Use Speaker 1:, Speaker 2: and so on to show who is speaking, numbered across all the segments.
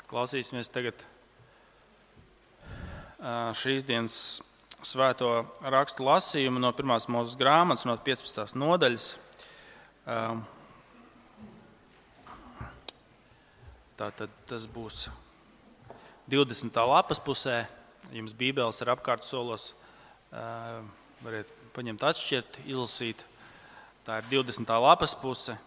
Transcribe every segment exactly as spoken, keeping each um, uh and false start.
Speaker 1: Klausīsimies tagad šīs dienas svēto rakstu lasījumu no pirmās Mūzes grāmatas, no piecpadsmitās nodaļas. Tātad tas būs divdesmitā lapas pusē. Jums bībeles ir apkārt solos. Variet paņemt atšķirt, izlasīt. Tā ir divdesmitā lapas puse.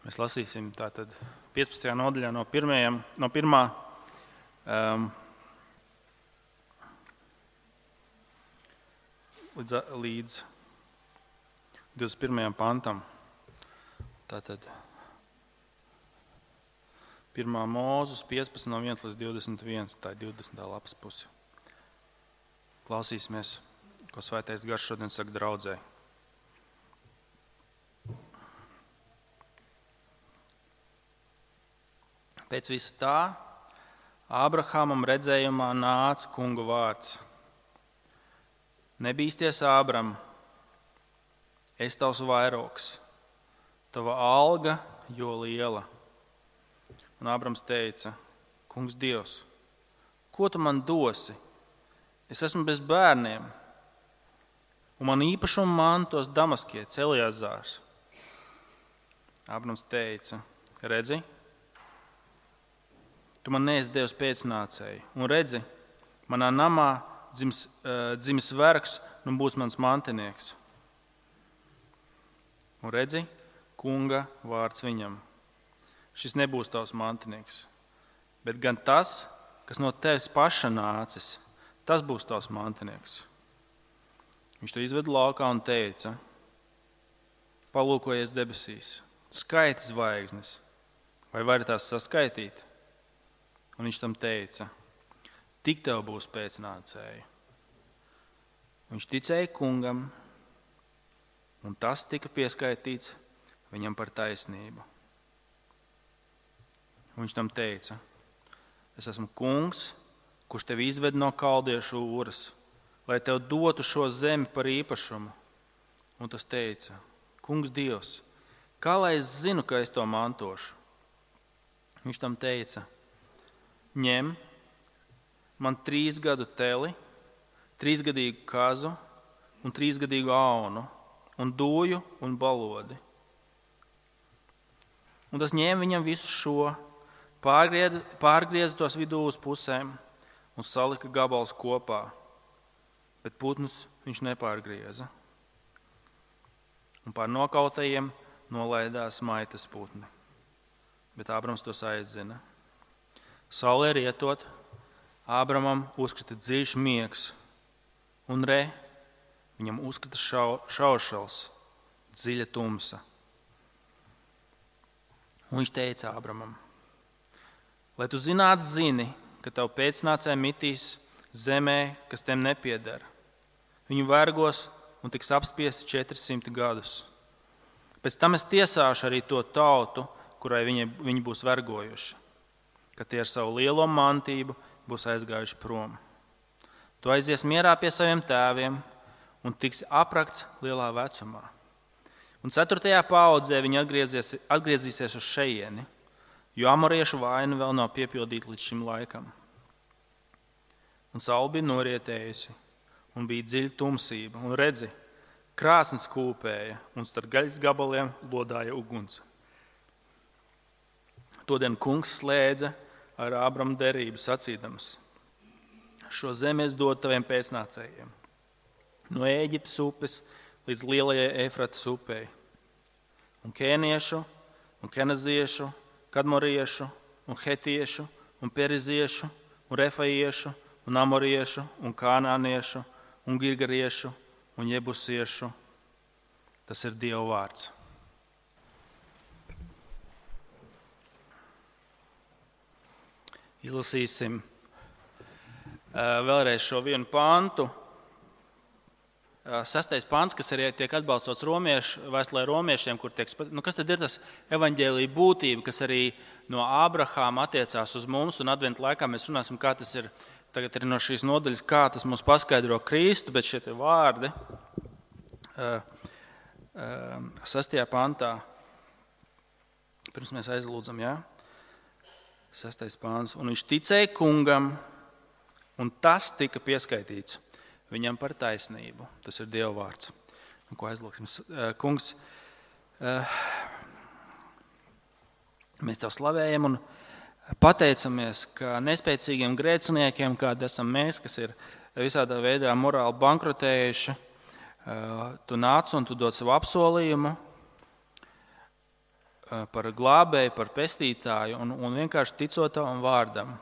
Speaker 1: Mēs lasīsim tātad piecpadsmitajā nodaļā no, pirmajam, no pirmā um, līdz, līdz divdesmit pirmajam pantam. Tātad pirmā Mūzes piecpadsmit no viens līdz divdesmit viens, tā ir divdesmitā lapas puse. Klausīsimies, ko Svētais Gars šodien saka draudzei. Pēc visa tā Ābrahamam redzējumā nāca Kunga vārds. Nebīsties, Ābram, es tavs vairogs, tava alga jo liela. Un Ābrams teica, Kungs Dievs, ko tu man dosi? Es esmu bez bērniem, un man īpašumu mantos Damaskietis Eliezārs. Ābrams teica, redzi, tu man neesi Dievs pēcnācēji, un redzi, manā namā dzims, uh, dzimis vergs, un būs mans mantinieks. Un redzi, Kunga vārds viņam. Šis nebūs tavs mantinieks, bet gan tas, kas no tevis paša nācis, tas būs tavs mantinieks. Viņš to izveda laukā un teica, palūkojies debesīs, skaiti zvaigznes, vai vari tās saskaitīt? Un viņš tam teica, tik tev būs pēcnācēji. Viņš ticēja Kungam, un tas tika pieskaitīts viņam par taisnību. Un viņš tam teica, es esmu Kungs, kurš tevi izved no kaldiešu Ūras, lai tev dotu šo zemi par īpašumu. Un tas teica, Kungs Dievs, kā lai es zinu, ka es to mantošu? Viņš tam teica, ņem man trīs gadu teli, trīsgadīgu kazu un trīsgadīgu aunu, un dūju un balodi. Un tas ņēma viņam visu šo, pārgrieza, pārgrieza tos vidū uz pusēm un salika gabals kopā, bet putnus viņš nepārgrieza. Un pār nokautajiem nolaidās maitas putni, bet Ābrams tos aizzina. Saulē rietot, Ābramam uzkrita dziļš miegs, un re, viņam uzkrita šau, šaušals, dziļa tumsa. Un viņš teica Ābramam, lai tu zinātu zini, ka tavu pēcnācēji mitīs zemē, kas tiem nepieder. Viņu vergos un tiks apspiesti četrsimt gadus. Pēc tam es tiesāšu arī to tautu, kurai viņi, viņi būs vergojuši, ka tie ar savu lielo mantību būs aizgājuši prom. Tu aizies mierā pie saviem tēviem un tiksi aprakts lielā vecumā. Un ceturtajā paaudzē viņi atgriezīsies uz šejieni, jo amoriešu vaina vēl nav piepildīta līdz šim laikam. Un saule bija norietējusi, un bija dziļa tumsība, un redzi, krāsns kūpēja, un starp gaļas gabaliem lodāja uguns. Todien Kungs slēdza ar Ābramu derību sacīdams, šo zemi es dodu taviem pēcnācējiem, no Ēģiptes upes līdz lielajai Eifratas upei, un kēniešu, un kenaziešu, kadmoriešu, un hetiešu, un periziešu, un refaiešu, un amoriešu, un kānāniešu, un girgariešu, un jebusiešu. Tas ir Dieva vārds. Izlasīsim vēlreiz šo vienu pantu. sastais pants, kas arī tiek atbalstots romiešu, vēstulē romiešiem, kur tiek, nu, kas tad ir tas evaņģēlija būtība, kas arī no Ābrahāma attiecās uz mums, un adventa laikā mēs runāsim, kā tas ir, tagad ir no šīs nodaļas, kā tas mums paskaidro Kristu, bet šie tie vārdi uh, uh, sastajā pantā, pirms mēs aizlūdzam, jā, sastais pants, un viņš ticēja kungam, un tas tika pieskaitīts viņam par taisnību. Tas ir Dieva vārds. Un ko aizlūksim? Kungs, mēs Tev slavējam un pateicamies, ka nespēcīgiem grēciniekiem, kādi esam mēs, kas ir visādā veidā morāli bankrotējuši, Tu nāc un Tu dod savu apsolījumu par glābēju, par pestītāju un, un vienkārši ticot Tavam vārdam.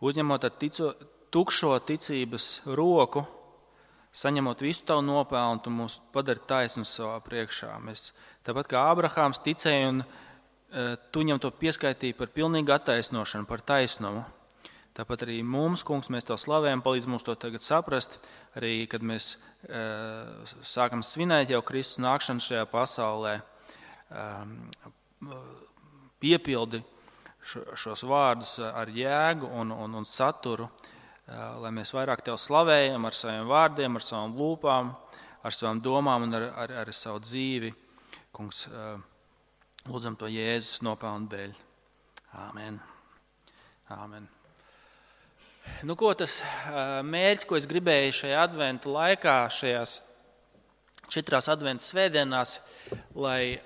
Speaker 1: Uzņemot ar tico, tukšo ticības roku, saņemot visu Tavu nopelnu, Tu mūs padari taisnus savā priekšā. Mēs, tāpat kā Ābrahāms ticēja un e, Tu viņam to pieskaitīji par pilnīgu attaisnošanu, par taisnumu. Tāpat arī mums, kungs, mēs Tev slavējam, palīdz mums to tagad saprast, arī kad mēs e, sākam svinēt jau Kristus nākšanu šajā pasaulē, e, piepildi šos vārdus ar jēgu un, un, un saturu, lai mēs vairāk Tev slavējam ar saviem vārdiem, ar savām lūpām, ar savām domām un ar, ar, ar savu dzīvi. Kungs, lūdzam to Jēzus nopelnu dēļ. Āmen. Āmen. Nu, ko tas mērķis, ko es gribēju šajā adventa laikā, šajās četrās adventa svētdienās, lai,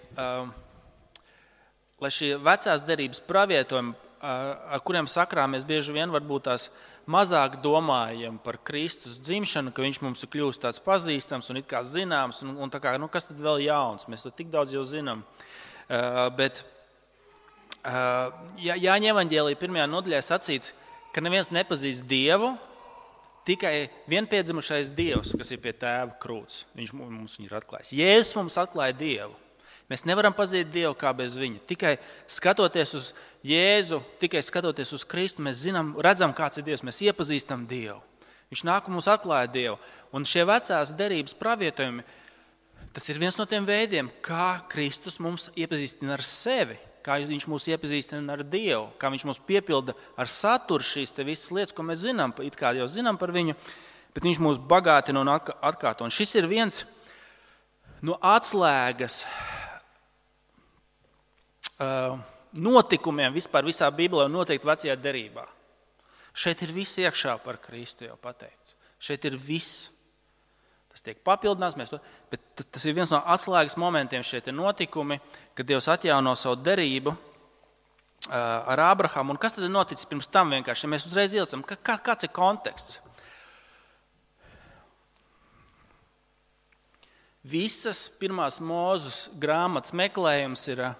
Speaker 1: lai šie vecās derības pravietojumi, ar kuriem sakrā mēs bieži vien varbūt tās mazāk domājam par Kristus dzimšanu, ka viņš mums ir kļūst tāds pazīstams un it kā zināms, un, un tā kā, nu, kas tad vēl jauns, mēs to tik daudz jau zinām. Uh, bet uh, Jā, Jāņa evaņģēlija pirmajā nodaļā sacīts, ka neviens nepazīst Dievu, tikai vienpiedzimušais Dievs, kas ir pie tēva krūts. Viņš mums viņu ir atklājis. Jēzus mums atklāja Dievu. Mēs nevaram pazīt Dievu kā bez viņa. Tikai skatoties uz Jēzu, tikai skatoties uz Kristu, mēs zinām, redzam, kāds ir Dievs, mēs iepazīstam Dievu. Viņš nāk un mums atklāja Dievu. Un šie vecās derības pravietojumi, tas ir viens no tiem veidiem, kā Kristus mums iepazīstina ar sevi, kā viņš mūs iepazīstina ar Dievu, kā viņš mūs piepilda ar saturu šīs te visas lietas, ko mēs zinām, it kā jau zinām par viņu, bet viņš mūs bagātina un atkārto. Un šis ir viens no atslēgas notikumiem vispār visā Bībelē un noteikti vecajā derībā. Šeit ir viss iekšā par Kristu jau pateikts. Šeit ir viss. Tas tiek papildināts, mēs to, bet tas ir viens no atslēgas momentiem šie notikumi, kad Dievs atjauno savu derību ar Ābrahāmu. Un kas tad ir noticis pirms tam vienkārši? Ja mēs uzreiz ielicam, kā, kāds ir konteksts? Visas pirmās Mūzes grāmatas meklējums ir,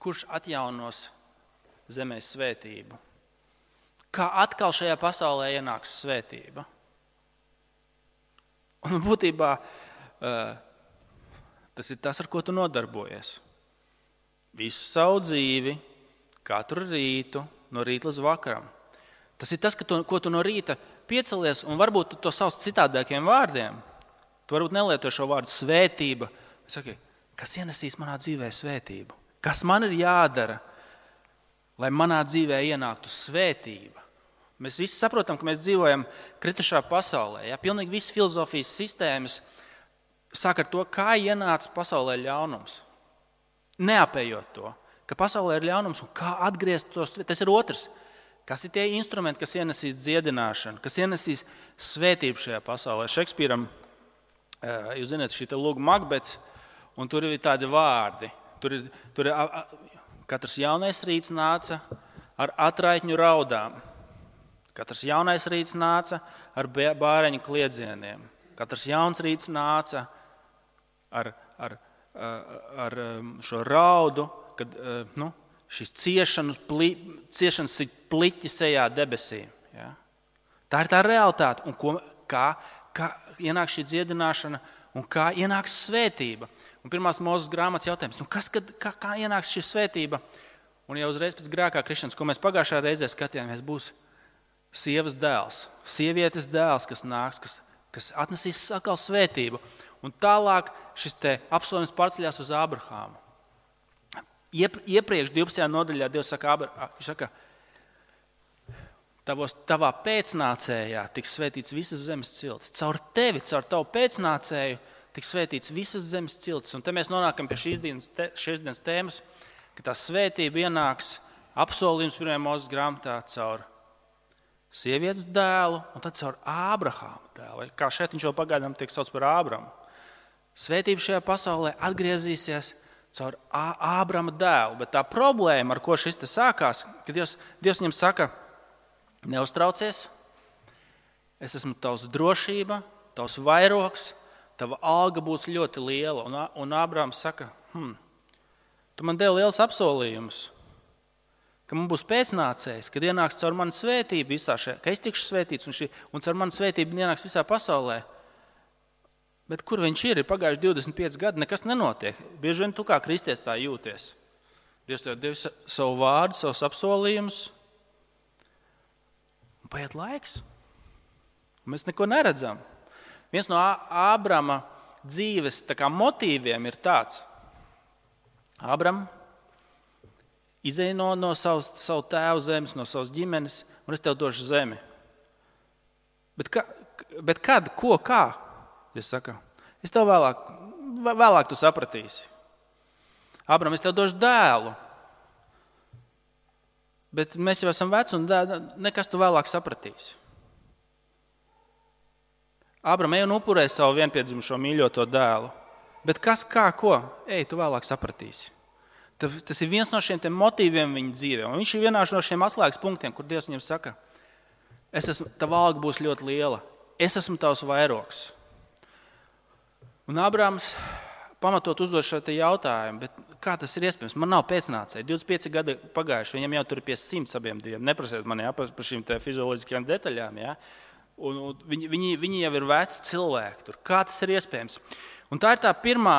Speaker 1: kurš atjaunos zemē svētību. Kā atkal šajā pasaulē ienāks svētība. Un būtībā tas ir tas, ar ko tu nodarbojies. Visu savu dzīvi, katru rītu, no rīta līdz vakaram. Tas ir tas, ka tu, ko tu no rīta piecelies, un varbūt tu to sauc citādākiem vārdiem. Tu varbūt nelieto šo vārdu svētība. Saki, kas ienesīs manā dzīvē svētību? Kas man ir jādara, lai manā dzīvē ienāktu svētība? Mēs visi saprotam, ka mēs dzīvojam kritušā pasaulē. Ja? Pilnīgi visas filozofijas sistēmas sāk ar to, kā ienāca pasaulē ļaunums. Neapējot to, ka pasaulē ir ļaunums un kā atgriezt tos. Tas ir otrs. Kas ir tie instrumenti, kas ienesīs dziedināšanu, kas ienesīs svētību šajā pasaulē? Šekspīram, jūs zināt, šī te lūga Makbets, un tur ir tādi vārdi. Tur ir, tur ir katrs jaunais rīts nāca ar atraitņu raudām. Katrs jaunais rīts nāca ar bāreņu kliedzieniem. Katrs jauns rīts nāca ar, ar, ar šo raudu, kad nu, šis ciešanas, pli, ciešanas sit pliķi sejā debesīm. Ja? Tā ir tā realitāte. Un ko, kā, kā ienāk šī dziedināšana un kā ienāks svētība. Un pirmās Mūzes grāmatas jautājums, nu kas, kad, kā, kā ienāks šī svētība? Un jau uzreiz pēc grēkā krišanas, ko mēs pagājušā reizē skatījāmies, būs sievas dēls, sievietes dēls, kas nāks, kas kas atnesīs atkal svētību. Un tālāk šis te apsolījums pārceļās uz Ābrahāmu. Iepriekš divpadsmitajā nodaļā Dievs saka, viņš saka, tavos, tavā pēcnācējā tiks svētīts visas zemes ciltis. Caur tevi, caur tavu pēcnācēju tiks svētīts visas zemes ciltis. Un te mēs nonākam pie šīs dienas, te, šīs dienas tēmas, ka tā svētība ienāks apsolījums pirmajā Mūzes grāmatā caur sievietes dēlu un tad caur Ābrahāma dēlu. Kā šeit viņš jau pagaidām tiek sauc par Ābramu. Svētība šajā pasaulē atgriezīsies caur Ābrama dēlu. Bet tā problēma, ar ko šis te sākās, ka Dievs, Dievs viņam saka, neuztraucies, es esmu tavs drošība, tavs vairogs, tava alga būs ļoti liela. Un, un Ābrams saka, hm, tu man devi liels apsolījumus, ka man būs pēcnācējs, kad ienāks caur manu svētību visā šajā, ka es tikšu svētīts un, šī, un caur manu svētību ienāks visā pasaulē. Bet kur viņš ir? Ir pagājuši divdesmit pieci gadi, nekas nenotiek. Bieži vien tu kā kristies tā jūties. Dievs tev devis savu vārdu, savus apsolījumus. Un paiet laiks. Un mēs neko neredzam. Viens no Ābrama dzīves tā kā motīviem ir tāds. Ābram izej no, no savu, savu tēvu zemes, no savas ģimenes, un es tev došu zemi. Bet, ka, bet kad, ko, kā? Es saku, es tev vēlāk, vēlāk tu sapratīsi. Ābram, es tev došu dēlu. Bet mēs jau esam veci un dēļ, nekas tu vēlāk sapratīsi. Ābram, ej un upurē savu vienpiedzimušo mīļoto dēlu. Bet kas, kā, ko? Ej, tu vēlāk sapratīsi. Tas ir viens no šiem motīviem viņa dzīvē. Un viņš ir vienā no šiem atslēgas punktiem, kur Dievs viņam saka, es esmu, tava alga būs ļoti liela. Es esmu tavs vairogs. Un Ābrams pamatot uzdod šo jautājumu, bet kā tas ir iespējams? Man nav pēcnācēji. divdesmit pieci gadi pagājuši, viņam jau tur ir pie simts abiem diviem. Neprasiet man jā, par šīm fizioloģiskajām detaļām. Jā. Un, un viņi, viņi, viņi jau ir veci cilvēki. Tur. Kā tas ir iespējams? Un tā ir tā pirmā,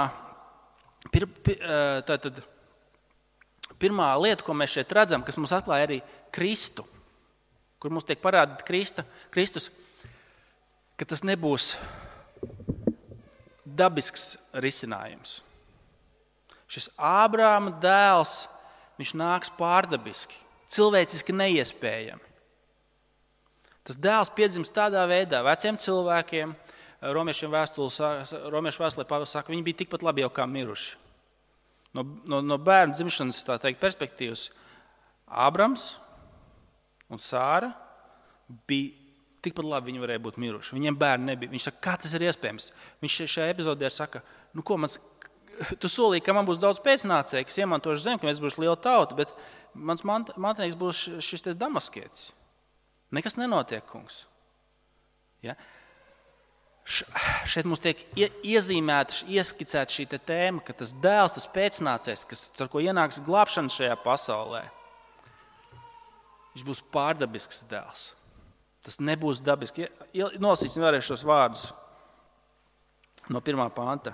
Speaker 1: pir, pir, tā, tad, pirmā lieta, ko mēs šeit redzam, kas mums atklāja arī Kristu, kur mums tiek parādīta Krista, Kristus, ka tas nebūs dabisks risinājums. Šis Ābrama dēls, viņš nāks pārdabiski, cilvēciski neiespējami. Tas dēls piedzimst tādā veidā, veciem cilvēkiem, romiešiem vēstulē Pāvils saka, viņi bija tikpat labi jau kā miruši. No, no, no bērnu dzimšanas, tā teikt, perspektīvas, Ābrams un Sāra bija tikpat labi viņi varēja būt miruši. Viņiem bērni nebija. Viņš saka, kā tas ir iespējams? Viņš šajā epizodē saka, nu ko, mans, tu solīji, ka man būs daudz pēcnācēji, kas iemantoši zemi, ka mēs būs liela tauta, bet mans mantinieks būs šis te damaskietis. Nekas nenotiek, kungs. Ja? Šeit mums tiek iezīmēta, ieskicēta šī te tēma, ka tas dēls, tas pēcnācējs, kas, ar ko ienāks glābšana šajā pasaulē, viņš būs pārdabisks dēls. Tas nebūs dabiski. Nolasīsim vēlreiz šos vārdus no pirmā panta.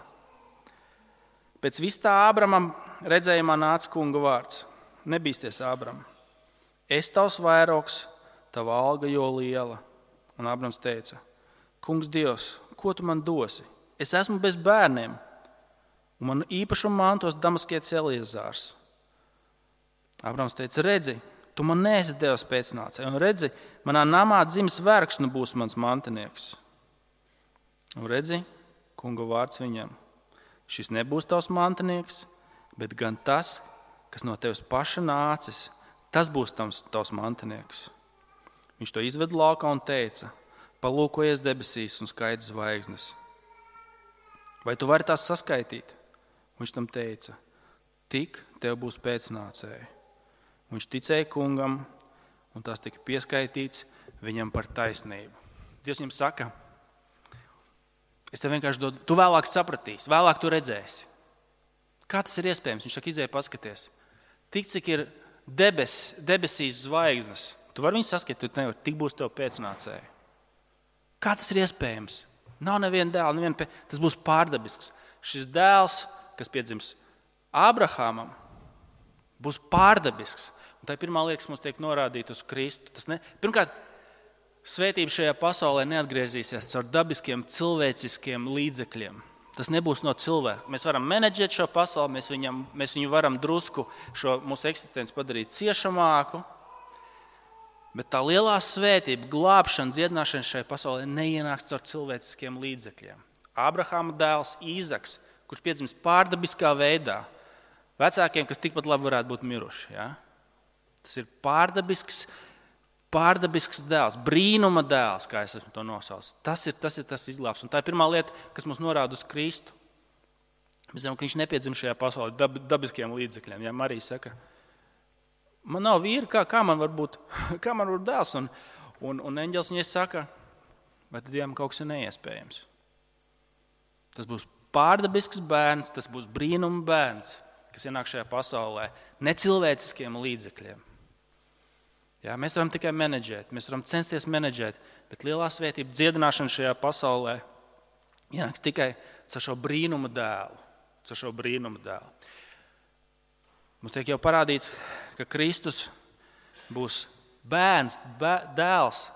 Speaker 1: Pēc vis tā Ābramam redzējumā nāca kunga vārds. Nebīsties, Ābram. Es tavs vairogs, tava alga jo liela. Un Ābrams teica, kungs Dievs, ko tu man dosi? Es esmu bez bērniem, un man īpašumu mantos damaskietis Eliezārs. Ābrams teica, redzi, tu man neesi Dievs pēcnācēji, un redzi, manā namā dzimis vergs, nu būs mans mantinieks. Un redzi, kunga vārds viņam, šis nebūs tavs mantinieks, bet gan tas, kas no tevis paša nācis, tas būs tavs, tavs mantinieks. Viņš to izved laukā un teica, palūkojies debesīs un skaidrs zvaigznes. Vai tu vari tās saskaitīt? Viņš tam teica, tik tev būs pēcnācēji. Viņš ticēja kungam, un tas tika pieskaitīts viņam par taisnību. Dievs viņam saka, es tev vienkārši dodu, tu vēlāk sapratīsi, vēlāk tu redzēsi. Kā tas ir iespējams? Viņš saka, izēj paskaties. Tik, cik ir debes, debesīs zvaigznes, tu vari viņus saskatīt, tu nevar, tik būs tev pēcnācēji. Kā tas ir iespējams? Nav neviena dēla, neviena pē... tas būs pārdabisks. Šis dēls, kas piedzims Ābrahamam, būs pārdabisks. Un tā ir pirmā lieta, kas mums tiek norādīta uz Kristu. Tas ne... Pirmkārt, Svētība šajā pasaulē neatgriezīsies caur dabiskiem cilvēciskiem līdzekļiem. Tas nebūs no cilvēka. Mēs varam menedžēt šo pasauli, mēs, viņam, mēs viņu varam drusku šo mūsu eksistenci padarīt ciešamāku, bet tā lielā svētība, glābšana, dziedināšana šajā pasaulē neienāks caur cilvēciskiem līdzekļiem. Ābrahama dēls Īzaks, kurš piedzimis pārdabiskā veidā, vecākiem, kas tikpat labi varētu būt miruši. Ja? Tas ir pārdabisks, pārdabisks dēls, brīnuma dēls, kā es esmu to nosaucis. Tas ir tas, ir tas izglābs. Un tā ir pirmā lieta, kas mums norāda uz Kristu. Mēs zinām, ka viņš nepiedzim šajā pasaulē dab, dabiskiem līdzekļiem. Ja Marija saka, man nav vīra, kā, kā man var būt, kā man var būt dēls? Un, un, un eņģelis viņai saka, vai tad Dievam kaut kas ir neiespējams? Tas būs pārdabisks bērns, tas būs brīnuma bērns, kas ienāk šajā pasaulē necilvēciskiem līdzekļiem. Jā, mēs varam tikai menedžēt, mēs varam censties menedžēt, bet lielā svētība dziedināšana šajā pasaulē ienāks tikai caur šo brīnuma dēlu. Caur šo brīnuma dēlu. Mums tiek jau parādīts, ka Kristus būs bērns, bē, dēls,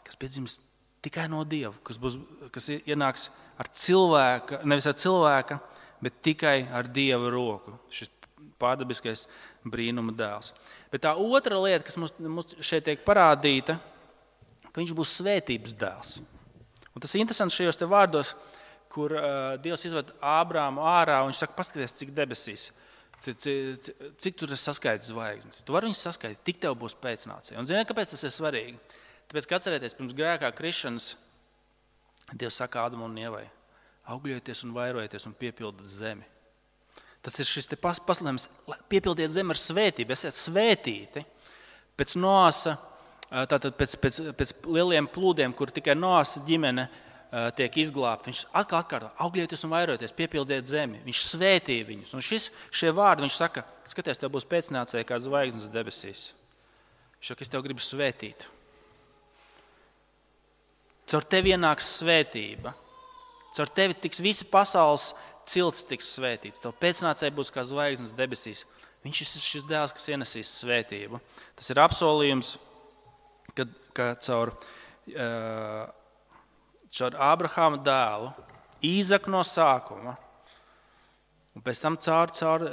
Speaker 1: kas piedzimst tikai no Dieva, kas, būs, kas ienāks ar cilvēka, nevis ar cilvēka, bet tikai ar Dieva roku. Šis pārdabiskais brīnuma dēls. Bet tā otra lieta, kas mums, mums šeit tiek parādīta, ka viņš būs svētības dēls. Un tas ir interesanti šajos te vārdos, kur uh, Dievs izved Ābrāmu ārā, un viņš saka, paskaties, cik debesīs, cik, cik, cik tur ir saskaitas zvaigznes. Tu vari viņus skaitīt, tik tev būs pēcnācija. Un ziniet, kāpēc tas ir svarīgi? Tāpēc, ka atcerieties, pirms grēkā krišanas, Dievs saka Ādamam un Ievai, augļojieties un vairojieties un piepildat zemi. Tas ir šis te pas, paslēmums, piepildiet zemi ar svētību, esiet svētīti. Pēc Noasa, tātad pēc, pēc, pēc lieliem plūdiem, kur tikai Noasa ģimene tiek izglābta, viņš atkal atkārto, augļieties un vairojieties, piepildiet zemi. Viņš svētīja viņus. Un šis, šie vārdi, viņš saka, skaties, tev būs pēcnācēji kā zvaigznes debesīs. Viņš saka, es tev gribu svētīt. Caur tevi ienāks svētība. Caur tevi tiks visa pasaules cilts tiks svētīts. Tev pēcnācēji būs kā zvaigznes debesīs. Viņš ir šis dēls, kas ienesīs svētību. Tas ir apsolījums, kad, ka caur, caur Ābrahama dēlu, Īzaku no sākuma, un pēc tam caur, caur,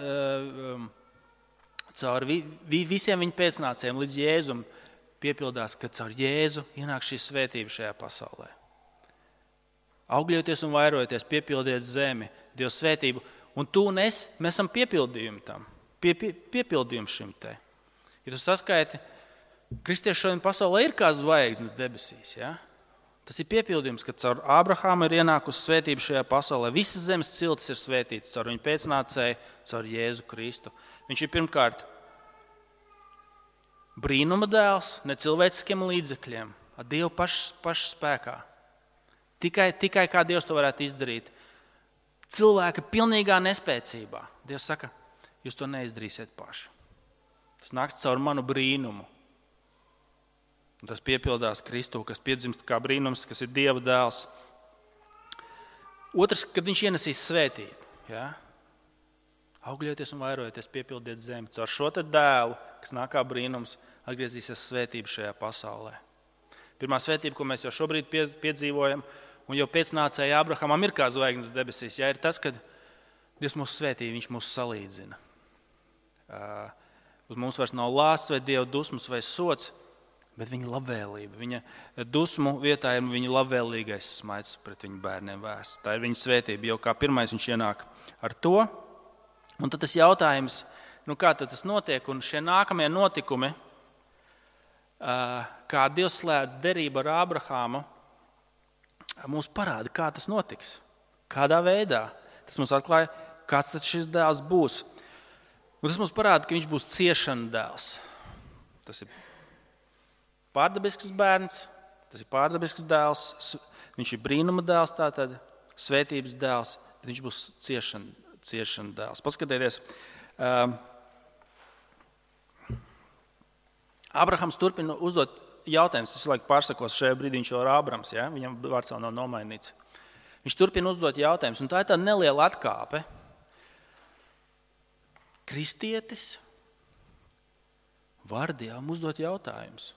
Speaker 1: caur vi, vi, visiem viņa pēcnācējiem līdz Jēzum piepildās, ka caur Jēzu ienāk šī svētība šajā pasaulē. Augļoties un vairojieties, piepildiet zemi, Dieva svētību. Un tu un es, mēs esam piepildījumi tam, pie, pie, piepildījumi šim te. Ja tu saskaiti, kristieši šodien pasaulē ir kā zvaigznes debesīs. Ja? Tas ir piepildījums, ka caur Ābrahāmu ir ienākusi svētība šajā pasaulē. Visas zemes ciltis ir svētītas caur viņu pēcnācēju, caur Jēzu Kristu. Viņš ir pirmkārt brīnuma dēls, necilvēciskiem līdzekļiem, ar Dievu pašu, pašu spēkā. Tikai, tikai kā Dievs to varētu izdarīt. Cilvēka pilnīgā nespēcībā. Dievs saka, jūs to neizdarīsiet paši. Tas nāks caur manu brīnumu. Un tas piepildās Kristu, kas piedzimst kā brīnums, kas ir Dieva dēls. Otrs, kad viņš ienesīs svētību. Ja? Augļoties un vairojieties, piepildiet zemi. Caur šo te dēlu, kas nāk kā brīnums, atgriezīsies svētība šajā pasaulē. Pirmā svētība, ko mēs jau šobrīd piedzīvojam, un jau pēcnācēja Ābrahamam ir kā zvaigznes debesīs, ja, ir tas, kad Dievs mūs svētī, viņš mūs salīdzina. Uh, uz mums vairs nav lāsts vai Dieva dusmas vai sots, bet viņa labvēlība. Viņa dusmu vietā ir viņa labvēlīgais smaids pret viņu bērniem vērsts. Tā ir viņa svētība, jau kā pirmais viņš ienāk ar to. Un tad tas jautājums, nu kā tad tas notiek, un šie nākamie notikumi, kā Dievs slēdz derību ar Ābrahāmu, mums parāda, kā tas notiks, kādā veidā. Tas mums atklāja, kāds tad šis dēls būs. Un tas mums parāda, ka viņš būs ciešana dēls. Tas ir pārdabisks bērns, tas ir pārdabisks dēls, viņš ir brīnuma dēls, tātad svētības dēls, bet viņš būs ciešana, ciešana dēls. Paskatieties, um, Ābrahams turpina uzdot jautājumus, es laiku pārsakos, šajā brīdī viņš jau ir Ābrams, ja? Viņam vārds vēl nav nomainīts. Viņš turpina uzdot jautājumus, un tā ir tā neliela atkāpe. Kristietis var Dievam uzdot jautājumus.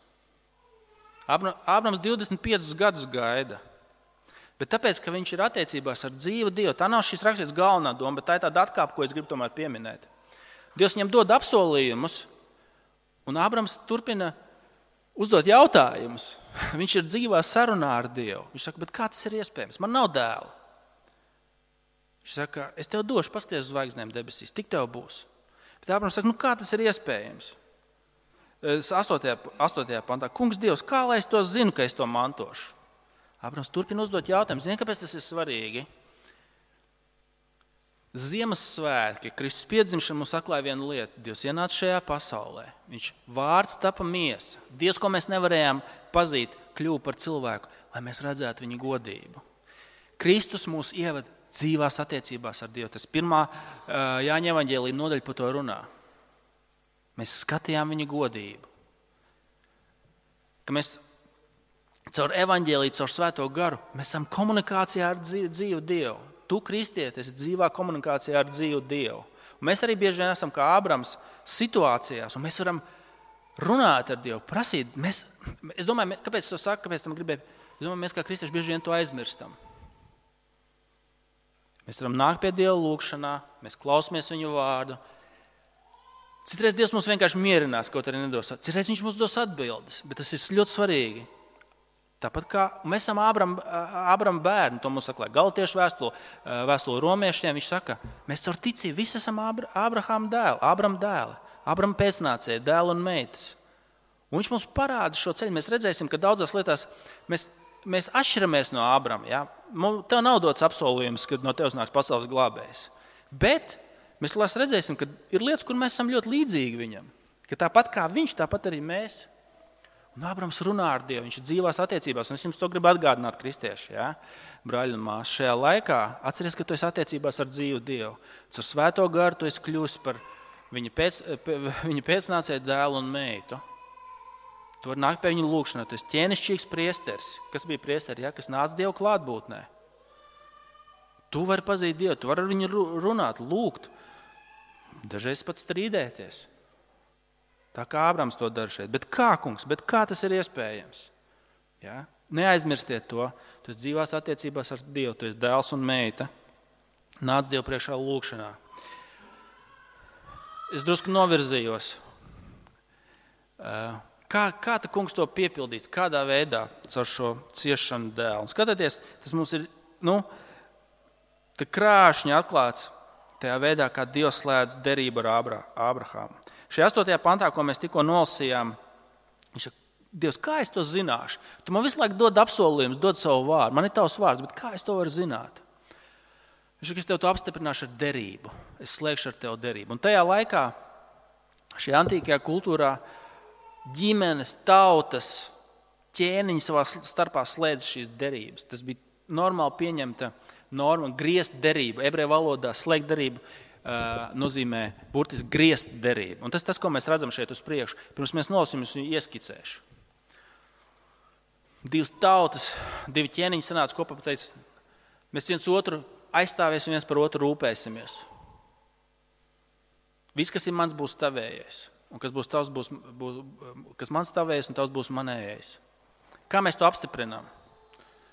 Speaker 1: Ābrams divdesmit piecus gadus gaida. Bet tāpēc, ka viņš ir attiecībās ar dzīvu Dievu, tā nav šīs rakstītas galvenā doma, bet tā ir tāda atkāpe, ko es gribu tomēr pieminēt. Dievs viņam dod apsolījumus, un Ābrams turpina uzdot jautājumus. Viņš ir dzīvā sarunā ar Dievu. Viņš saka, bet kā tas ir iespējams? Man nav dēla. Viņš saka, es tev došu, paskaties uz zvaigznēm debesīs, tik tev būs. Bet Ābrams saka, nu kā tas ir iespējams? astotajā, astotajā pantā, kungs Dievs, kā lai es to zinu, ka es to mantošu? Ābrams turpina uzdot jautājumu. Zini, kāpēc tas ir svarīgi? Ziemassvētki, Kristus piedzimšana mums atklāja vienu lietu. Dievs ienāca šajā pasaulē. Viņš vārds tapa miesa. Dievs, ko mēs nevarējām pazīt, kļuva par cilvēku, lai mēs redzētu viņa godību. Kristus mūs ieved dzīvās attiecībās ar Dievu. Tas pirmā Jāņa evaņģēlija nodaļa par to runā. Mēs skatījām viņa godību. Ka mēs caur evaņģēliju, caur svēto garu, mēs esam komunikācijā ar dzīvu Dievu. Tu, kristietis, esi dzīvā komunikācijā ar dzīvu Dievu. Un mēs arī bieži vien esam kā Ābrams situācijās, un mēs varam runāt ar Dievu, prasīt. Mēs, es domāju, kāpēc es to saku, kāpēc tam gribēju? Es domāju, mēs kā kristieši bieži vien to aizmirstam. Mēs varam nākt pie Dieva lūgšanā, mēs klausamies viņu vārdu. Citreiz Dievs mums vienkārši mierinās, kaut arī nedos. Citreiz viņš mums dos atbildes, bet tas ir ļoti svarīgi. Tāpat kā mēs esam Ābrama Ābrama bērni, to mums saka Galatiešu vēstule, vēstule romiešiem, viņš saka, mēs caur ticību visi esam Ābrahama dēli, Ābrama dēli, Ābrama pēcnācēji, dēli un meitas. Un viņš mums parāda šo ceļu. Mēs redzēsim, ka daudzās lietās mēs, mēs atšķiramies no Ābrama. Ja? Tev nav dots apsolījums, ka no tevis nāks pasaules glābējs. Bet mēs tulēs redzēsim, ka ir lietas, kur mēs esam ļoti līdzīgi viņam. Ka tāpat kā viņš, tāpat arī mēs. Un Ābrams runā ar Dievu, viņš ir dzīvās attiecībās, un es jums to gribu atgādināt, kristieši, ja? Brāļi un māsas. Šajā laikā atceries, ka tu esi attiecībās ar dzīvu Dievu. Caur svēto garu tu esi kļūst par viņa, pēc, viņa pēcnācēju dēlu un meitu. Tu vari nākt pie viņa lūgšanā, tu esi ķēnišķīgs priesteris. Kas bija priesteri, ja? Kas nāca Dievu klātbūtnē. Tu vari pazīt Dievu, tu vari ar viņu runāt, lūgt, dažreiz pat strīdēties. Tā kā Ābrams to dara šeit. Bet kā, kungs, bet kā tas ir iespējams? Ja? Neaizmirstiet to. Tu esi dzīvās attiecībās ar Dievu, tu esi dēls un meita. Nāc Dievu priekšā lūgšanā. Es drusku novirzījos. Kā, kā ta kungs to piepildīs? Kādā veidā caur šo ciešanu dēlu? Un skatieties, tas mums ir, nu, tā krāšņi atklāts tajā veidā, kā Dievs slēdz derību ar Ābrahāmu. Šajā astotajā pantā, ko mēs tikko nolasījām, viņš saka, Dievs, kā es to zināšu? Tu man visu laiku dod apsolījumus, dod savu vārdu. Man ir tavs vārds, bet kā es to varu zināt? Viņš saka, es tev to apstiprināšu ar derību. Es slēgšu ar tev derību. Un tajā laikā, šajā antīkajā kultūrā, ģimenes, tautas, ķēniņi savā starpā slēdz šīs derības. Tas bija normāli pieņemta norma, griezt derību. Ebreju valodā slēgt derību Uh, nozīmē burtiski griezt derību. Un tas tas, ko mēs redzam šeit uz priekšu. Pirms mēs nolasīsim, es viņu ieskicēšu. Divas tautas, divi ķēniņi sanāca kopā, pateica, mēs viens otru aizstāvēsim, viens par otru rūpēsimies. Viss, kas ir mans, būs tavējais. Un kas būs tavs, būs, būs, kas mans tavējais, un tavs būs manējais. Kā mēs to apstiprinām?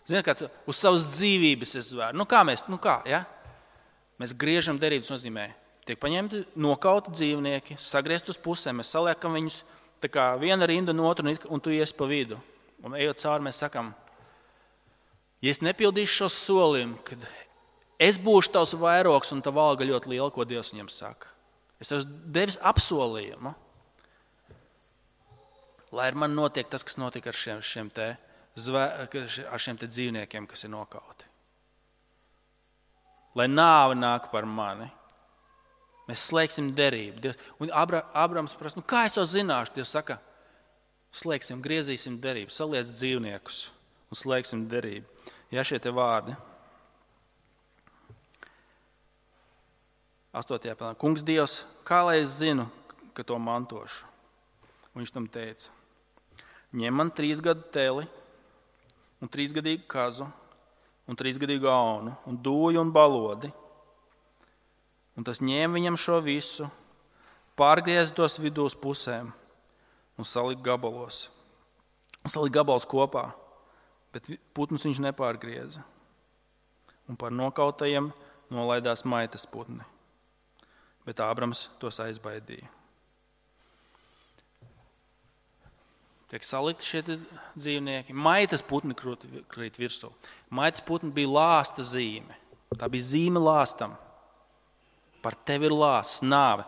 Speaker 1: Ziniet, kāds uz savas dzīvības es zvēru. Nu kā mēs, nu kā, ja? Mēs griežam derības, nozīmē, tiek paņemti nokauti dzīvnieki, sagriezt uz pusēm, mēs saliekam viņus tā kā viena rinda no otru, un tu ies pa vidu. Un ejot cauri, mēs sakam, ja es nepildīšu šo solījumu, kad es būšu tavs vairogs un tava alga ļoti liela, ko Dievs viņam saka. Es esmu devis apsolījumu, lai ar mani notiek tas, kas notika ar šiem, šiem, te, zvē, ar šiem te dzīvniekiem, kas ir nokauti. Lai nāve nāk par mani. Mēs slēgsim derību. Dievs, un Abra, Abrams prasa, nu kā es to zināšu? Dievs saka, slēgsim, griezīsim derību, saliec dzīvniekus un slēgsim derību. Ja šie te vārdi. Astotajā pantā. Kungs Dievs, kā lai es zinu, ka to mantošu? Un viņš tam teica, ņem man trīs gadu teli un trīsgadīgu kazu, un trīsgadīgu aunu, un dūju un balodi. Un tas ņēma viņam šo visu, pārgriez tos vidū uz pusēm un salika gabalos. salika gabals kopā, bet putnus viņš nepārgrieza. Un par nokautajiem nolaidās maitas putni. Bet Ābrams tos aizbaidīja. Tiek salikti šie dzīvnieki. Maitas putni krīt virsū. Maitas putni bija lāsta zīme. Tā bija zīme lāstam. Par tevi ir lāsts, nāve.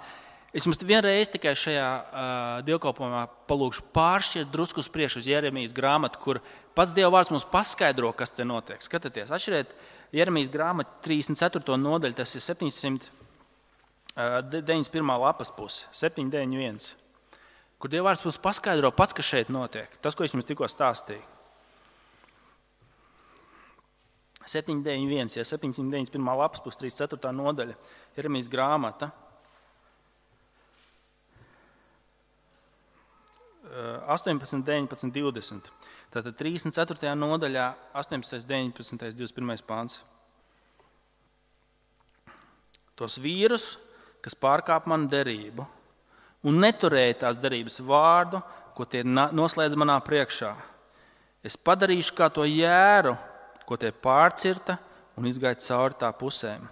Speaker 1: Es jums vienreiz tikai šajā uh, dievkalpojumā palūkšu pāršķirt drusku uz priekšu uz Jeremijas grāmatu, kur pats Dieva vārds mums paskaidro, kas te notiek. Skatieties, atšķiriet Jeremijas grāmatu trīsdesmit ceturto nodaļu, tas ir septiņsimt deviņdesmit pirmā lapas puse, septiņi deviņi viens, kur Dieva vārds mums paskaidro pats, kas šeit notiek. Tas, ko es jums tikko stāstīju. septiņi deviņi viens, ja septiņsimt deviņdesmit pirmā lapas puse, trīsdesmit ceturtā nodaļa, Jeremijas grāmata. astoņpadsmit, deviņpadsmit, divdesmit. Tātad trīsdesmit ceturtajā nodaļā, astoņpadsmit, deviņpadsmit, divdesmit pirmais pāns. Tos vīrus, kas pārkāp manu derību un neturēja tās derības vārdu, ko tie noslēdz manā priekšā. Es padarīšu kā to jēru, ko tie pārcirta un izgāja cauri tā pusēm.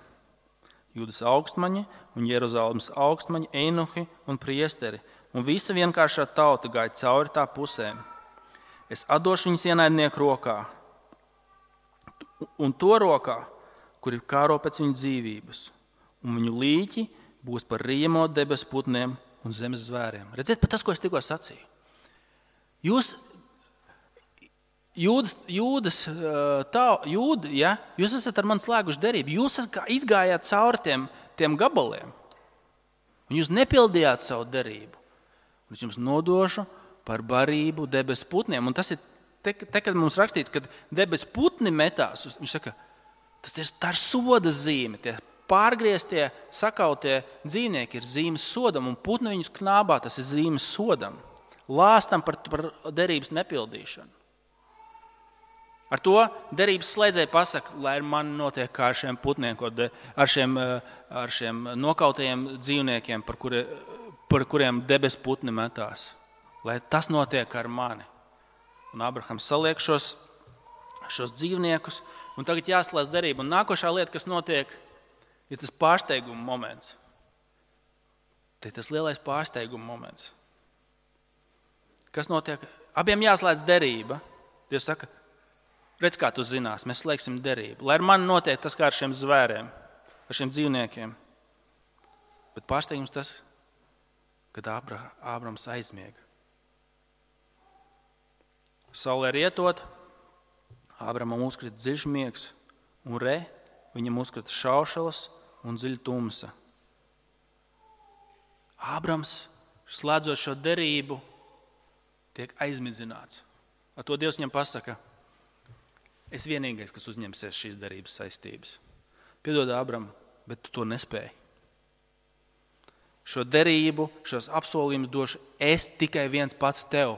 Speaker 1: Jūdas augstmaņi un Jeruzalemes augstmaņi, einuhi un priesteri, un visa vienkāršā tauta gāja cauri tā pusēm. Es atdošu viņus ienaidnieku rokā, un to rokā, kuri kāro pēc viņu dzīvības, un viņu līķi būs par riemo debesu putniem un zemes zvēriem. Redziet, pat tas, ko es tikko sacīju. Jūs, jūdas, jūdas, tā, jūda, ja? Jūs esat ar mani slēguši derību, jūs izgājāt cauri tiem, tiem gabaliem, un jūs nepildījāt savu derību. Un es jums nodošu par barību debesu putniem. Un tas ir, te, te kad mums rakstīts, kad debesu putni metās, viņš saka, tas ir, tā ir soda zīme. Tie pārgrieztie, sakautie dzīvnieki ir zīmes sodam, un putni viņus knābā, tas ir zīmes sodam. Lāstam par, par derības nepildīšanu. Ar to derības slēdzēji pasaka, lai man notiek kā ar šiem putniem, ar šiem, ar šiem nokautajiem dzīvniekiem, par kuriem par kuriem debesu putni metās, lai tas notiek ar mani. Un Abrahams saliek šos, šos dzīvniekus, un tagad jāslēdz derība. Un nākošā lieta, kas notiek, ir tas pārsteiguma moments. Te tas lielais pārsteiguma moments. Kas notiek? Abiem jāslēdz derība. Dievs saka, redz, kā tu zinās, mēs slēgsim derību. Lai ar mani notiek tas kā ar šiem zvēriem, ar šiem dzīvniekiem. Bet pārsteigums tas, kad Ābrams aizmiega. Saulē rietot, Ābramam uzkrita dziļš miegs, un re, viņam uzkrita šaušalas un dziļa tumsa. Ābrams, slēdzot šo derību, tiek aizmidzināts. Ar to Dievs viņam pasaka, es vienīgais, kas uzņemsies šīs derības saistības. Piedod, Ābram, bet tu to nespēji. Šo derību, šos apsolījumus došu es tikai viens pats tev.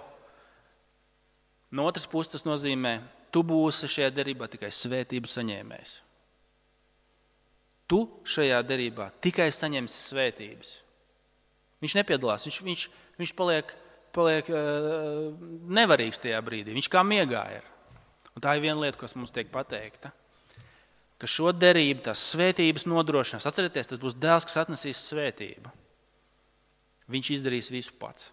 Speaker 1: No otras puses tas nozīmē, tu būsi šajā derībā tikai svētību saņēmējs. Tu šajā derībā tikai saņemsi svētības. Viņš nepiedalās, viņš, viņš, viņš paliek, paliek uh, nevarīgs tajā brīdī, viņš kā miegā ir. Un tā ir viena lieta, kas mums tiek pateikta, ka šo derību, tās svētības nodrošinās. Atcerieties, tas būs dēls, kas atnesīs svētību. Viņš izdarīs visu pats.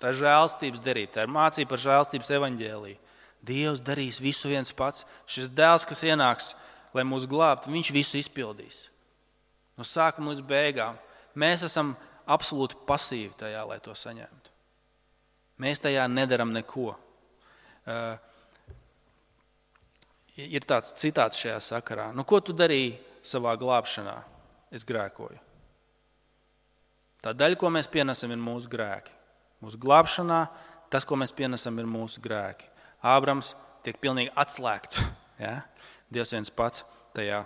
Speaker 1: Tā ir žēlstības derība, tā ir mācība par žēlstības evaņģēliju. Dievs darīs visu viens pats. Šis dēls, kas ienāks, lai mūs glābtu, viņš visu izpildīs. No sākuma līdz beigām. Mēs esam absolūti pasīvi tajā, lai to saņemtu. Mēs tajā nedaram neko. Uh, ir tāds citāts šajā sakarā. Nu, ko tu darīji savā glābšanā? Es grēkoju. Tā daļa, ko mēs pienesam, ir mūsu grēki. Mūsu glābšanā tas, ko mēs pienesam, ir mūsu grēki. Ābrams tiek pilnīgi atslēgts. Ja? Dievs viens pats tajā,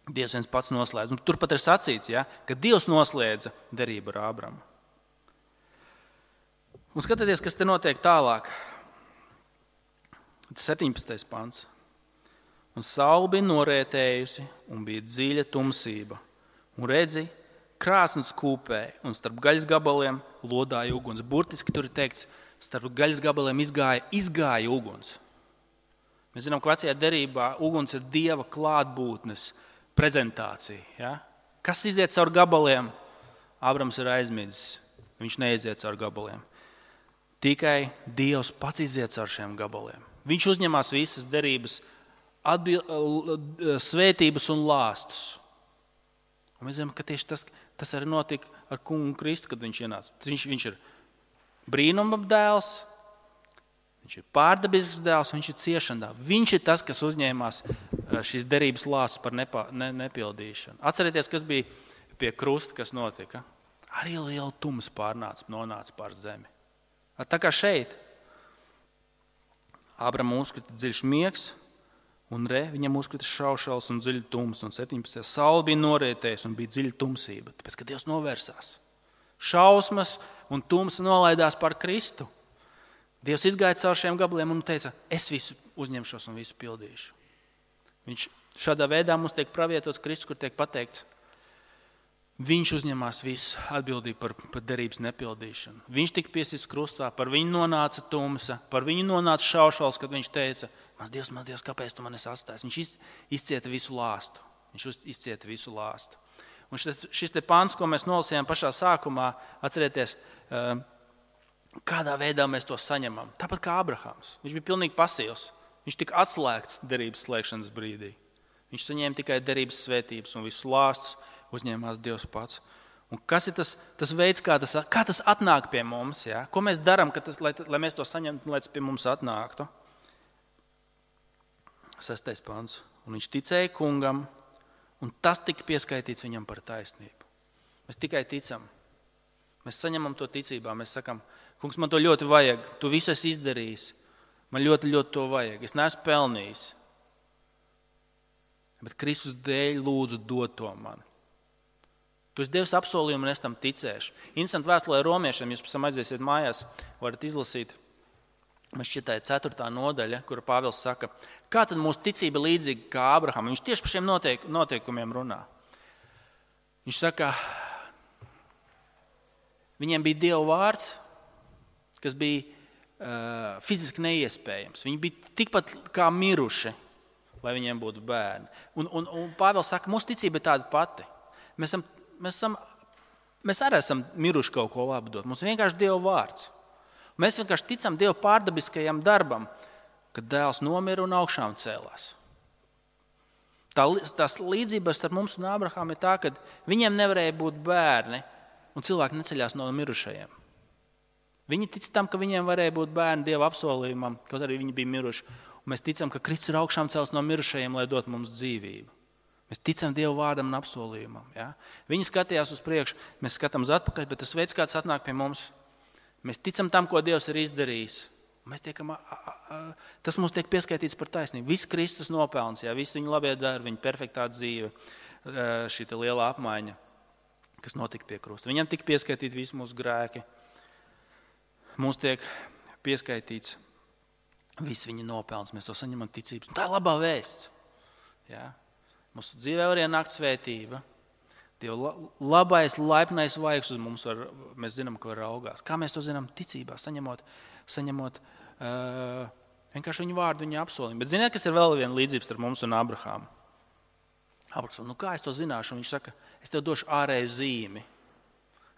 Speaker 1: Dievs viens pats noslēdz. Un turpat ir sacīts, ja? Ka Dievs noslēdza derību ar Ābramu. Un skatieties, kas te notiek tālāk. Tas septiņpadsmitais pants. Un saule bija norētējusi un bija dziļa tumsība. Un redzi, krāsns kūpēja un starp gaļas gabaliem lodāja uguns. Burtiski tur ir teikts, starp gaļas gabaliem izgāja, izgāja uguns. Mēs zinām, ka vecajā derībā uguns ir Dieva klātbūtnes prezentācija. Ja? Kas iziet caur gabaliem? Ābrams ir aizmidzis. Viņš neiziet caur gabaliem. Tikai Dievs pats iziet caur šiem gabaliem. Viņš uzņemās visas derības, atbil, svētības un lāstus. Un mēs zinām, ka tieši tas, tas arī notika ar kungu Kristu, kad viņš ienāca. Viņš, viņš ir brīnuma dēls, viņš ir pārdabisks dēls, viņš ir ciešana dēls. Viņš ir tas, kas uzņēmās šīs derības lāstus par nepa, ne, nepildīšanu. Atcerieties, kas bija pie krusta, kas notika. Arī liela tums pārnāca, nonāca pār zemi. Tā kā šeit Ābram uzkrita dziļš miegs, un re, viņam uzkrita šaušals un dziļa tums, un septiņpadsmitajā saule bija norietējusi un bija dziļa tumsība, tāpēc, ka Dievs novērsās. Šausmas un tumsa nolaidās par Kristu. Dievs izgāja caur šiem gabaliem un teica, es visu uzņemšos un visu pildīšu. Viņš šādā veidā mums tiek pravietots Kristus, kur tiek pateikts, viņš uzņemās visu atbildību par, par derības nepildīšanu. Viņš tika piesīts krustā, par viņu nonāca tumsa, par viņu nonāca šaušals, kad viņš teica, mans Dievs, mans Dievs, kāpēc tu mani sastājis? Viņš iz, izcieta visu lāstu. Viņš izcieta visu lāstu. Un šis, šis te pants, ko mēs nolasījām pašā sākumā, atcerieties, kādā veidā mēs to saņemam. Tāpat kā Abrahams. Viņš bija pilnīgi pasīvs. Viņš tika atslēgts derības slēgšanas brīdī. Viņš saņēma tikai derības svētības un visus lāstus uzņēmās Dievs pats. Un kas ir tas, tas veids, kā tas, kā tas atnāk pie mums? Ja? Ko mēs darām, tas, lai, lai mēs to saņemtu, lai tas pie mums atnāktu? Sestais pants. Un viņš ticēja kungam, un tas tika pieskaitīts viņam par taisnību. Mēs tikai ticam. Mēs saņemam to ticībā. Mēs sakam, kungs, man to ļoti vajag. Tu visu esi izdarījis. Man ļoti, ļoti to vajag. Es neesmu pelnījis. Bet Kristus dēļ lūdzu dod to man. Tu esi Dievs apsolījumu un es tam ticēšu. Interesanti vēstulē romiešiem, jūs pēc tam aiziesiet mājās, varat izlasīt. Man šķiet, tā ir ceturtā nodaļa, kura Pāvils saka, kā tad mūsu ticība līdzīga kā Abraham? Viņš tieši par šiem noteik, noteikumiem runā. Viņš saka, viņiem bija Dieva vārds, kas bija uh, fiziski neiespējams. Viņi bija tikpat kā miruši, lai viņiem būtu bērni. Un, un, un Pāvils saka, mūsu ticība ir tāda pati. Mēs, esam, mēs, esam, mēs arī esam miruši kaut ko labu dot. Mums vienkārši Dieva vārds. Mēs vienkārši ticam Dieva pārdabiskajam darbam, kad dēls nomira un augšām cēlās. Tā, tās līdzības starp mums un Abrahamu ir tā, ka viņiem nevarēja būt bērni un cilvēki neceļās no mirušajiem. Viņi tic tam, ka viņiem varēja būt bērni Dieva apsolījumam, kaut arī viņi bija miruši. Un mēs ticam, ka Kristus ir augšām cēls no mirušajiem, lai dot mums dzīvību. Mēs ticam Dieva vārdam un apsolījumam. Ja? Viņi skatījās uz priekšu, mēs skatām uz atpakaļ, bet tas veids, kāds atnāk pie mums, mēs ticam tam, ko Dievs ir izdarījis. Mēs tiekam, a, a, a, tas mums tiek pieskaitīts par taisnību. Viss Kristus nopelns, ja? Viss viņa labie darbi, viņa perfektā dzīve, šī lielā apmaiņa, kas notika pie krusta. Viņam tika pieskaitīti visi mūsu grēki. Mums tiek pieskaitīts viss viņa nopelns. Mēs to saņemam ticības. Un tā ir labā vēsts. Ja? Mūsu dzīvē var ienākt svētība. Dieva labais, laipnais vaigs uz mums var, mēs zinām, ka var raugās. Kā mēs to zinām? Ticībā, saņemot, saņemot uh, vienkārši viņu vārdu, viņa apsolījumu. Bet ziniet, kas ir vēl viena līdzība starp mums un Abrahāmu? Abrahāms, nu kā es to zināšu? Un viņš saka, es tev došu ārēju zīmi,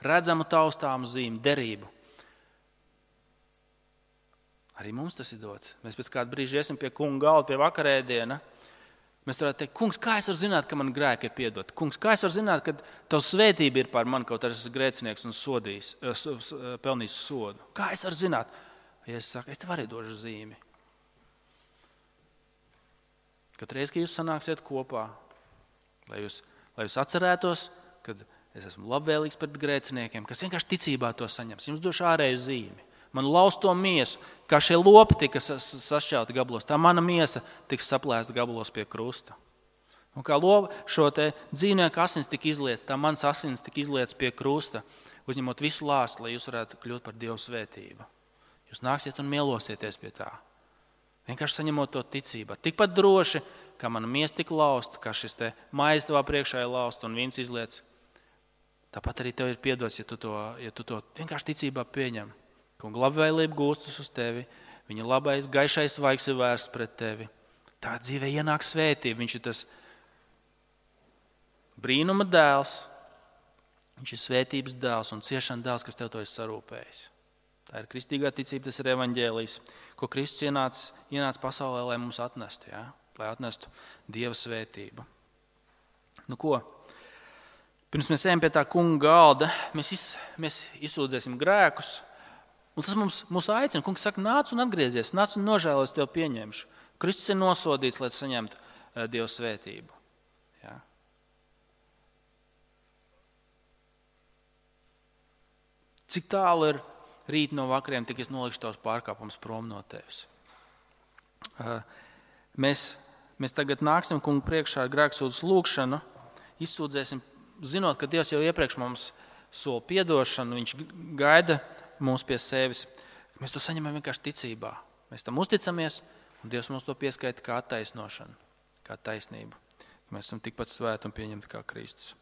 Speaker 1: redzamu taustāmu zīmi, derību. Arī mums tas ir dots. Mēs pēc kāda brīža iesim pie kunga galda, pie vakarēdiena. Mēs varētu teikt, kungs, kā es varu zināt, ka man grēki ir piedoti? Kungs, kā es varu zināt, ka tavs svētība ir pār mani, kaut arī esmu grēcinieks un sodījis, pelnījis sodu? Kā es varu zināt? Ja es saku, es tev arī došu zīmi. Kad reiz, kad jūs sanāksiet kopā, lai jūs, lai jūs atcerētos, kad es esmu labvēlīgs pret grēciniekiem, kas vienkārši ticībā to saņems. Jums došu ārēju zīmi. Man lauz to miesu, kā šie lopi tika sašķelti gabalos, tā mana miesa tika saplēsta gabalos pie krusta. Un kā lopa, šo te dzīvnieku asins tika izlietas, tā mans asins tika izlietas pie krusta, uzņemot visu lāstu, lai jūs varētu kļūt par Dievu svētību. Jūs nāksiet un mielosieties pie tā. Vienkārši saņemot to ticībā. Tikpat droši, kā mana miesa tika lausta, kā šis te maize tavā priekšā ir lausta un vīns izlietas. Tāpat arī tev ir piedots, ja tu to, ja tu to vienkārši ticībā pieņem. Kunga labvēlība gūstas uz tevi, viņa labais, gaišais svaigs ir vērsts pret tevi. Tā dzīvē ienāk svētība, viņš ir tas brīnuma dēls, viņš ir svētības dēls un ciešana dēls, kas tev to ir sarūpējis. Tā ir kristīgā ticība, tas ir evaņģēlijs, ko Kristus ienāca, ienāca pasaulē, lai mums atnestu, ja? Lai atnestu Dieva svētību. Nu ko? Pirms mēs ejam pie tā kunga galda, mēs, iz, mēs izsūdzēsim grēkus, un tas mums, mums aicina. Kungs saka, nāc un atgriezies, nāc un nožēlos, tev pieņemšu. Kristus ir nosodīts, lai tu saņemtu uh, Dieva svētību. Ja? Cik tālu ir rīt no vakariem, tik es nolikšu tavs pārkāpums prom no tevis. Uh, mēs, mēs tagad nāksim kungu priekšā ar grēksūdzes lūgšanu, izsūdzēsim, zinot, ka Dievs jau iepriekš mums sola piedošanu, viņš gaida mūs pie sevis. Mēs to saņemam vienkārši ticībā. Mēs tam uzticamies, un Dievs mums to pieskaita kā attaisnošanu, kā taisnību. Mēs esam tikpat svēti un pieņemti kā Kristus.